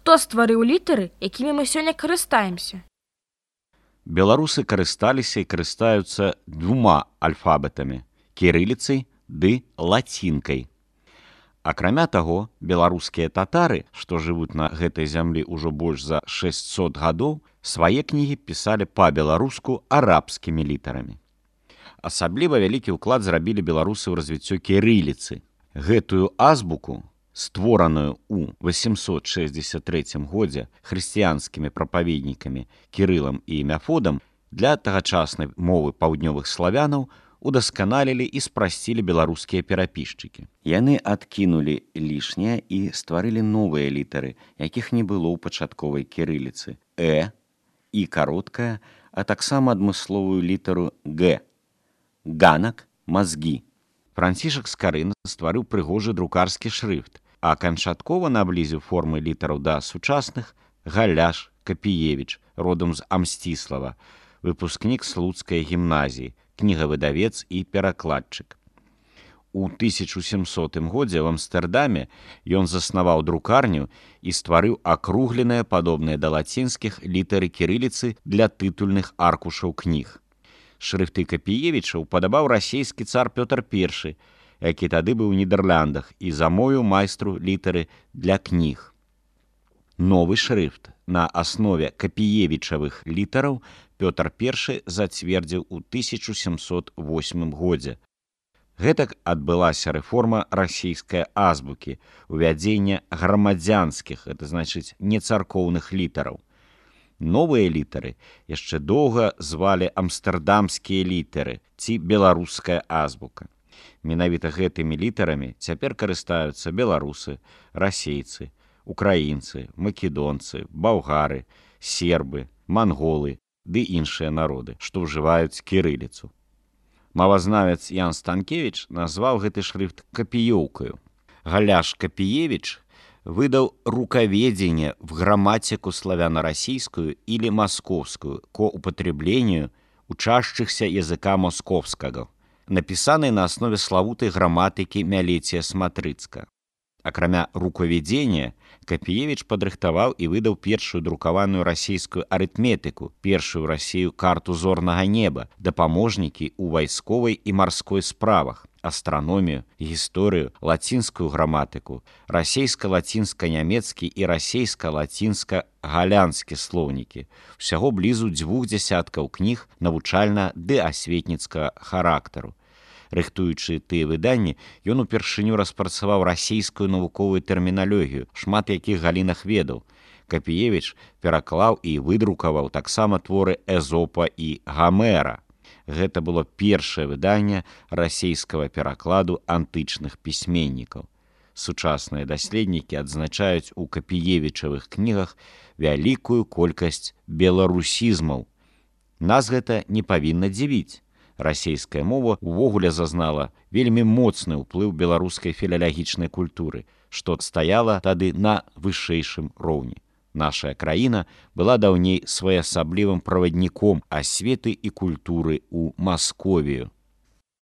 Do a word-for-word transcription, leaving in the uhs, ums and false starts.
Хто стварыў літары, якімі мы сёння карыстаемся? Беларусы карысталіся і карыстаюцца двума альфабетамі – кірыліцай ды лацінкай. Акрамя таго, беларускія татары, што жывуць на гэтай зямлі ўжо больш за шэсцьсот гадоў, свае кнігі пісалі па-беларуску арабскімі літарамі. Асабліва вялікі ўклад зрабілі беларусы ў развіццё кірыліцы. Гэтую азбуку, створаную ў васемсот шэсцьдзесят трэцім годзе хрысціянскімі прапаведнікамі Кірылам і Мяфодам, для тагачаснай мовы паўднёвых славянаў удасканалілі і спрасцілі беларускія перапісчыкі. Яны адкінулі лішняе і стварылі новыя літары, якіх не было ў пачатковай кірыліцы. Э, і кароткая, а таксама адмысловую літару Г. Ганак, мазгі. Францішак Скарына стварыў прыгожы друкарскі шрыфт, а канчаткова наблізіў формы літараў да сучасных Галяш Капіевіч, родам з Амсціслава, выпускнік Слуцкай гімназіі, кнігавыдавец і перакладчык. У тысяча сямсотым годзе ў Амстэрдаме ён заснаваў друкарню і стварыў акругленыя, падобныя да лацінскіх, літары кірыліцы для тытульных аркушаў кніг. Шрыфты Капіевіча ўпадабаў расейскі цар Пётр Першы, які тады быў у Нідерландах і замовіў майстру літары для кніг. Новы шрыфт на аснове капіевічавых літараў Пётр Першы зацвердзіў у тысяча сямсот восьмым годзе. Гэтак адбылася рэформа расійскай азбукі, увядзенне грамадзянскіх, гэта значыць нецаркоўных літараў. Новыя літары яшчэ доўга звалі амстэрдамскія літары ці беларуская азбука. Менавіта гэтымі літарамі цяпер карыстаюцца беларусы, расейцы, украінцы, македонцы, балгары, сербы, манголы ды іншыя народы, што ўжываюць кірыліцу. Мовазнавец Ян Станкевіч назваў гэты шрыфт капіёўкаю. Галяш Капіевіч выдал рукаведение в грамматику славяно-российскую или московскую ко употреблению учащихся языка московского, написанный на основе славутой грамматики Мялетия Смотрыцка. Акрамя рукаведения, Капіевіч падрыхтаваў і выдаў першую друкаваную расійскую арытметыку, першую ў Расію карту зорнага неба, дапаможнікі ў вайсковай і марской справах, астраномію, гісторыю, лацінскую граматыку, расейска-лацінска-нямецкі і расейска-лацінска-галянскі слоўнікі, усяго блізу дзвюх дзясяткаў кніг навучальна- ды асветніцкага характару. Рыхтуючы тыя выданні, ён упершыню распрацаваў расійскую навуковую тэрміналогію, шмат якіх галінах ведаў. Капіевіч пераклаў і выдрукаваў таксама творы Эзопа і Гамера. Гэта было першае выданне расейскага перакладу антычных пісьменнікаў. Сучасныя даследнікі адзначаюць у капіевічавых кнігах вялікую колькасць беларусізмаў. Нас гэта не павінна дзівіць. Расейская мова увогуле зазнала вельмі моцны ўплыў беларускай філалагічнай культуры, што стаяла тады на вышэйшым роўні. Нашая краіна была даўней своеасаблівым правадніком асветы і культуры ў Масковію.